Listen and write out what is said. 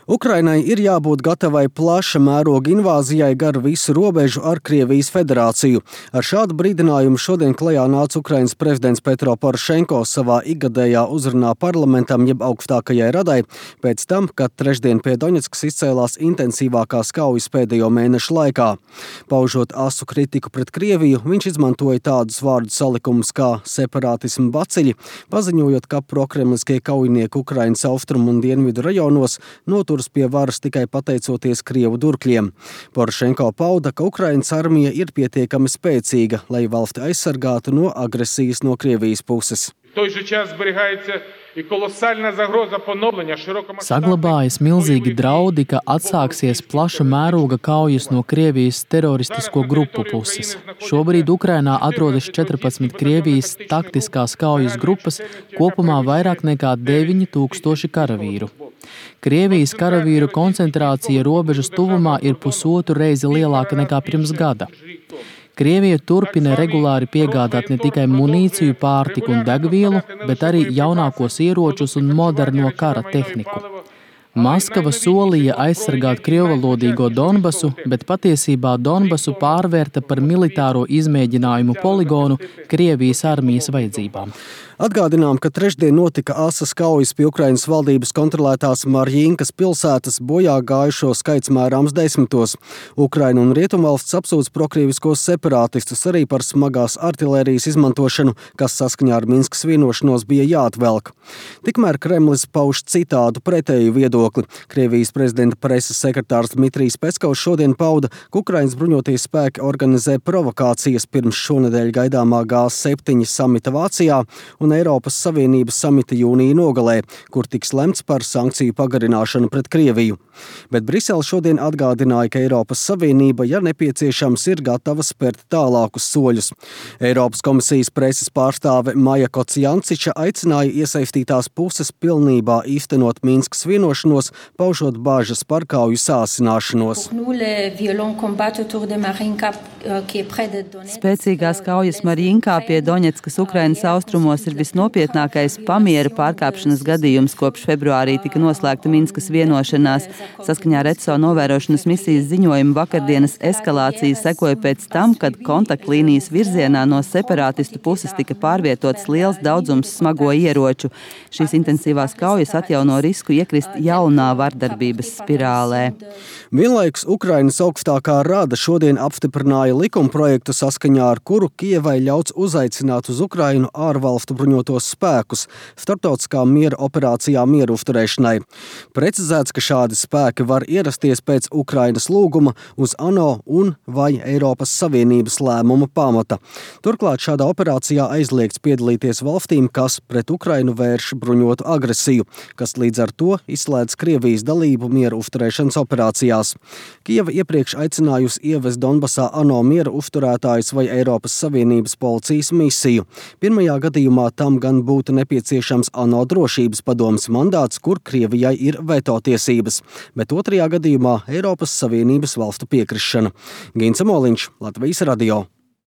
Ukrainai ir jābūt gatavai plaša mēroga invāzijai gar visu robežu ar Krievijas federāciju. Ar šādu brīdinājumu šodien klajā nāca Ukrainas prezidents Petro Porošenko savā ikgadējā uzrunā parlamentam jeb augstākajai radai, pēc tam, kad trešdien pie Doņetskas izcēlās intensīvākās kaujas pēdējo mēnešu laikā. Paužot asu kritiku pret Krieviju, viņš izmantoja tādus vārdu salikumus kā separātismu baciļi, paziņojot, ka prokremliskie kaujinieki Ukrainas austrumu un dienvidu rajonos noturas pie varas tikai pateicoties Krievu durkļiem. Porošenko pauda, ka Ukrainas armija ir pietiekami spēcīga, lai valsti aizsargātu no agresijas no Krievijas puses. Saglabājas milzīgi draudi, ka atsāksies plaša mēroga kaujas no Krievijas teroristisko grupu puses. Šobrīd Ukrainā atrodas 14 Krievijas taktiskās kaujas grupas, kopumā vairāk nekā 9000 karavīru. Krievijas karavīru koncentrācija robežas tuvumā ir 1,5 reizi lielāka nekā pirms gada. Krievija turpina regulāri piegādāt ne tikai munīciju, pārtiku un degvielu, bet arī jaunākos ieročus un moderno kara tehniku. Maskava solīja aizsargāt krievalodīgo Donbasu, bet patiesībā Donbasu pārvērta par militāro izmēģinājumu poligonu Krievijas armijas vajadzībām. Atgādinām, ka trešdien notika asas kaujas pie Ukrainas valdības kontrolētās Marjinkas pilsētas, bojā gājušo skaits mērāms desmitos. Ukraina un Rietumvalsts apsūdz prokrieviskos separātistus arī par smagās artilērijas izmantošanu, kas saskaņā ar Minskas vienošanos bija jāatvelk. Tikmēr Kremlis pauž citādu pretēju viedokli. Krievijas prezidenta preses sekretārs Dmitrijs Peskovs šodien pauda, ka Ukrainas bruņoties spēki organizē provokācijas pirms šonedēļ gaidāmā G7 samita Vācijā un Eiropas Savienības samita jūnija nogalē, kur tiks lemts par sankciju pagarināšanu pret Krieviju. Bet Brisele šodien atgādināja, ka Eiropas Savienība, ja nepieciešams, ir gatava spērt tālākus soļus. Eiropas komisijas preses pārstāve Maja Kocijanciča aicināja iesaistītās puses pilnībā īstenot Minskas vienošanos, paužot bāžas par kauju sāsināšanos. Spēcīgās kaujas Marjinkā pie Doņetskas Ukrainas austrumos ir visnopietnākais pamiera pārkāpšanas gadījums, kopš februārī tika noslēgta Minskas vienošanās. Saskaņā ar ECO novērošanas misijas ziņojumu vakardienas eskalācija sekoja pēc tam, kad kontaktlīnijas virzienā no separātistu puses tika pārvietots liels daudzums smago ieroču. Šīs intensīvās kaujas atjauno risku iekrist jaunā vardarbības spirālē. Vienlaikus Ukrainas augstākā rada šodien apstiprināja likumprojektu, saskaņā ar kuru Kijevai ļauts uzaicināt uz Ukrainu ārvalstu bruņotos spēkus starptautiskā miera operācijā mieru uzturēšanai. Precizēts, ka šādi spēki var ierasties pēc Ukrainas lūguma uz ANO un vai Eiropas Savienības lēmuma pamata. Turklāt šādā operācijā aizliegts piedalīties valstīm, kas pret Ukrainu vērš bruņotu agresiju, kas līdz ar to izslēdz Krievijas dalību mieru uzturēšanas operācijās. Kijeva iepriekš aicinājusi ievest Donbasā ANO mieru uzturētājus vai Eiropas Savienības policijas misiju. Pirmajā gadījumā tam gan būtu nepieciešams ANO drošības padomes mandāts, kur Krievijai ir veto tiesības, bet otrajā gadījumā Eiropas Savienības valstu piekrišana. Gins Amoliņš, Latvijas radio.